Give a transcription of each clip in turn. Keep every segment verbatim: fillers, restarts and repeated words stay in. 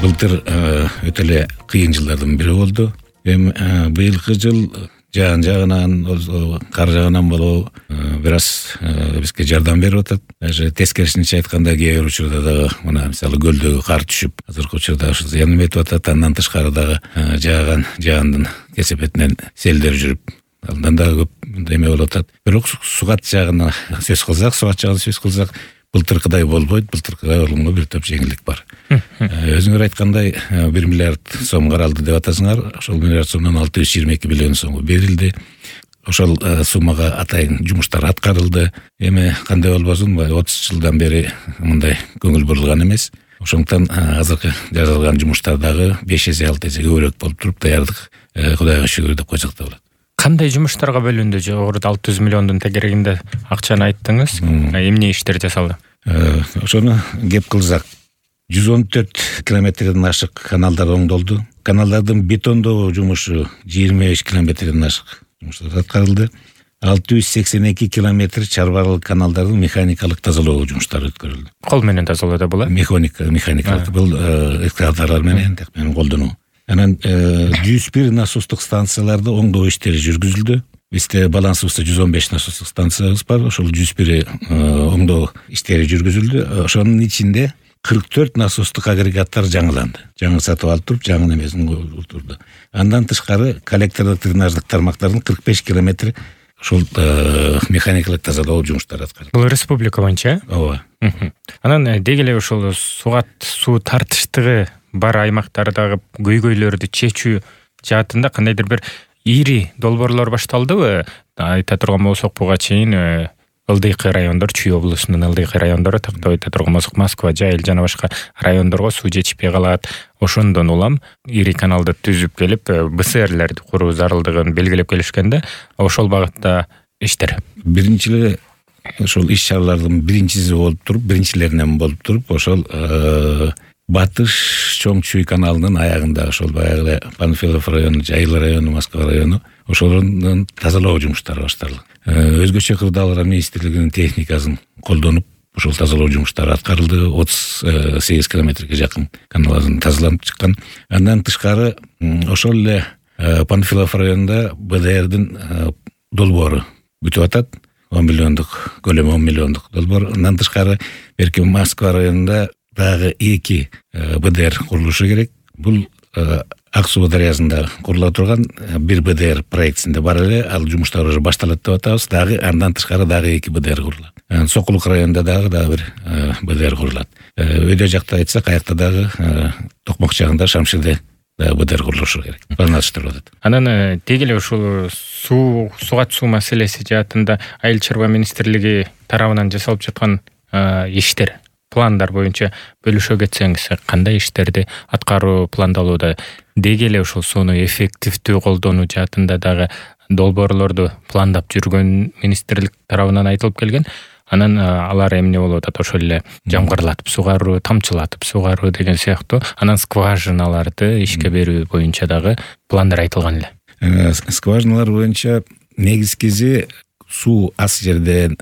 Былтыр өтө эле кыйын жылдардын бири болду. Эми быйылкы жыл жаан жагынан, кар жагынан болобу бир аз бизге жардам берип атат. Даже тескерисинче айтканда кээ бир учурда дагы мына мисалы көлдөгү кар түшүп, азыркы учурда ушу зыян этип атат. Андан тышкары дагы жааган жаандын кесепетинен селдер жүрүп, андан дагы көп эме болуп атат. Бирок сугат жагына сөз кылсак, сугат жагына сөз кылсак, былтыркыдай болбойт, былтыркыдай болгонго бир топ жеңилдик бар. Өзүңөр айткандай бир миллиард сом каралды деп атасыңар. Ошол миллиард сомдон алты жүз жыйырма эки миллион сомго берилди. Ошол суммага атайын жумуштар аткарылды. Эми кандай болбосун, отуз жылдан бери мындай көңүл бурулган эмес. Ошондуктан азыркы жасалган жумуштар дагы беш эсе алты эсе көбүрөөк болуп туруп, даярдык Кудайга шүгүр деп койсок да болот. Кандай жумуштарга бөлүндү? Жогоруда алты жүз миллиондун тегерегинде акчаны айттыңыз. Эмне иштер жасалды? Ошону кеп кылсак, жүз он төрт километрден ашык каналдар оңдолду. Каналдардын бетондоо жумушу жыйырма беш километрден ашык жумуштар аткарылды. алты жүз сексен эки километр чарбарлык каналдардын механикалык тазалоо жумуштары өткөрүлдү. Кол менен тазалоодо болот? Механика, механикалык бул экскаваторлор менен, так менен колдонуу. Анан жүз бир насостук станцияларды оңдоо иштери жүргүзүлдү. Бизде балансыбызда жүз он беш насостук станциябыз бар. Ошол жүз бири оңдоо иштери жүргүзүлдү. Ошонун ичинде кырк төрт насостук агрегаттар жаңыланды. Жаңы сатып алып туруп, жаңы немесин отурду. Андан тышкары коллектордук дренаждык тармактардын кырк беш километри ошол механикалык тазалоо жумуштары аткарылды. Бул республика боюнча? Ооба. Анан деги эле ошол сугат суу тартыштыгы бар аймактардагы көйгөйлөрдү чечүү жаатында кандайдыр бир ири долбоорлор башталдыбы? Айта турган болсок, буга чейин ылдыйкы райондор, Чүй облусунун ылдыйкы райондору, тактап айта турган болсок, Москва, Жайыл жана башка райондорго суу жетишпей калат. Ошондон улам ири каналды түзүп келип, БСРлерди куруу зарылдыгын белгилеп келишкенде, ошол багытта иштер. Биринчи эле ошол иш-чаралардын биринчиси болуп туруп, биринчилеринен болуп туруп, ошол Батыш Чоң Чүй каналынын аягында, ошол баягы Панфилов району, Жайыл району, Москва району, ошолордун тазалоо жумуштары башталды. Өзгөчө кырдаалар министрлигинин техникасын колдонуп, ошол тазалоо жумуштары аткарылды. отуз сегиз километрге жакын каналдын тазаланып чыккан. Андан тышкары ошол эле Панфилов районунда БДРдин долбоору бүтүп атат. он миллиондук, көлөмү он миллиондук долбоор. Андан тышкары берки Москва районунда дагы эки БДР курулушу керек. Бул Ак суу дарыясында курулуп турган бир БДР проектисинде бар эле, ал жумуштар уже башталат деп атабыз. Дагы андан тышкары дагы эки БДР курулат. Сокулук районунда дагы дагы бир БДР курулат. Өйдө жакта айтсак, аякта дагы Токмок жагында Шамширде дагы БДР курулушу керек. Пландаштырып атат. Анан деги эле ушул суу, сугат суу маселеси жаатында Айыл чарба министрлиги тарабынан жасалып жаткан иштер, пландар боюнча бөлүшө кетсеңиз, кандай иштерди аткаруу пландалууда? Деги эле ушул сууну эффективдүү колдонуу жаатында дагы долбоорлорду пландап жүргөн министрлик тарабынан айтылып келген. Анан алар эмне болуп атат? Ошол эле жамгырлатып сугаруу, тамчылатып сугаруу деген сыяктуу. Анан скважиналарды ишке берүү боюнча дагы пландар айтылган эле. Скважиналар боюнча негизгиси суу ас жерден,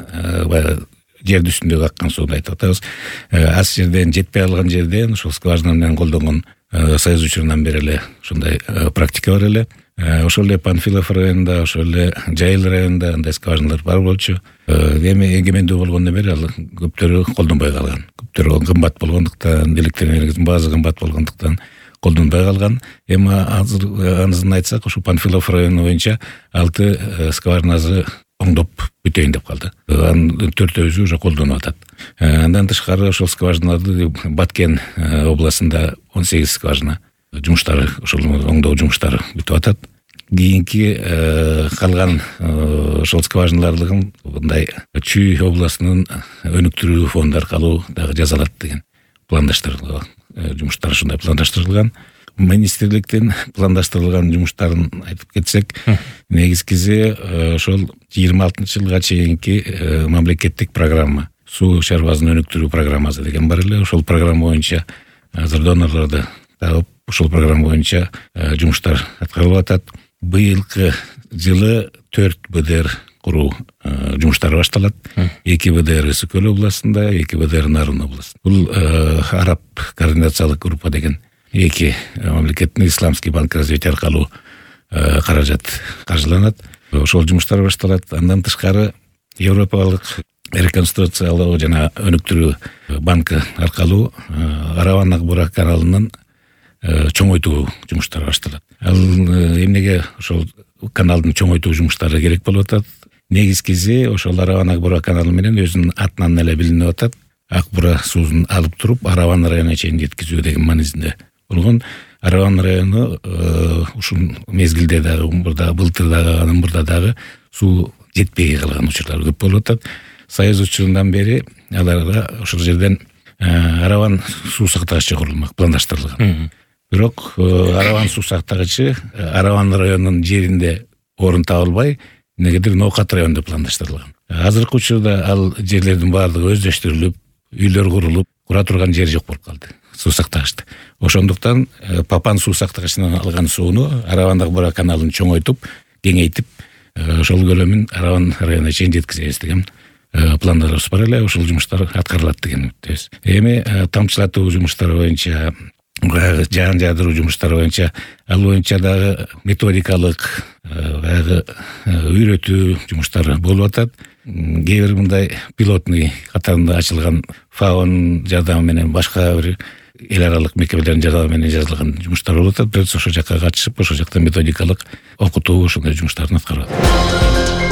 жерди үстүндөгү аккан сууну айтып атабыз. Ас жерден жетпей калган жерден ошол скважина менен колдонгон Союз учурунан бери эле ушундай практика бар эле. Ошол эле Панфилов районунда, ошол эле Жайыл районунда андай скважиналар бар болчу. Эми эгемендүү болгондон бери ал көптөрү колдонбой калган. Көптөрү кымбат болгондуктан, электр энергиясынын баасы кымбат болгондуктан колдонбой калган. Эми азыр анысын айтсак, ушул Панфилов району боюнча алты скважинасы оңдоп бүтөйүн деп калды. Анын төртөөсү уже колдонуп атат. Андан тышкары ошол скважиналарды Баткен областында он сегиз скважина жумуштары, ошол оңдоо жумуштары бүтүп атат. Кийинки калган ошол скважиналардын мындай Чүй областынын өнүктүрүү фонду аркылуу дагы жасалат деген пландаштырылган жумуштар, ушундай пландаштырылган. Министрликтин пландаштырылган жумуштарын айтып кетсек, негизгиси ошол жыйырма алтынчы жылга чейинки мамлекеттик программа, суу чарбасын өнүктүрүү программасы деген бар эле. Ошол программа боюнча азыр донорлорду табып, ошол программа боюнча жумуштар аткарылып атат. Быйылкы жылы төрт БДР куруу жумуштары башталат. эки БДР Ысык Көл областында, эки БДР Нарын областында. Бул араб координациялык группа деген эки мамлекеттин исламский банк развития аркылуу каражат каржыланат. Ошол жумуштар башталат. Андан тышкары Европалык реконструкциялоо жана өнүктүрүү банкы аркылуу Араван Акбура каналынын чоңойтуу жумуштары башталат. Ал эмнеге ошол каналдын чоңойтуу жумуштары керек болуп атат? Негизгиси ошол Араван Акбура каналы менен өзүнүн атынан эле билинип атат. Акбура суусун алып туруп Араван районуна чейин жеткизүү деген маанисинде болгон. Араван району ушул мезгилде дагы умурда былтыр дагы анын мурда дагы суу жетпей калган учурлар көп болуп атат. Союз учурундан бери аларга ошол жерден Араван суу сактагычы курулмак пландаштырылган. Бирок Араван суу сактагычы Араван районунун жеринде орун табылбай, негедир Ноокат районунда пландаштырылган. Азыркы учурда ал жерлердин баардыгы өздөштүрүлүп, үйлөр курулуп, кура турган жер жок болуп калды суу сактагычта. Ошондуктан Папан суу сактагычынан алган сууну Араван Акбура каналын чоңойтуп, кеңейтип, ошол көлөмүн Араван районуна чейин жеткизебиз деген пландарыбыз бар эле. Ошол жумуштар аткарылат деген үмүттөбүз. Эми тамчылатуу жумуштары боюнча, жаан жаадыруу жумуштары боюнча, ал боюнча дагы методикалык баягы үйрөтүү жумуштары болуп атат. Кээ бир мындай пилотный катарында ачылган ФАОнун жардамы менен, башка бир эл аралык мекемелердин жардамы менен жазылган жумуштар болуп атат. Бирок ошол жакка катышып, ошол жакта методикалык окутуу ошондой жумуштарын аткарып атат.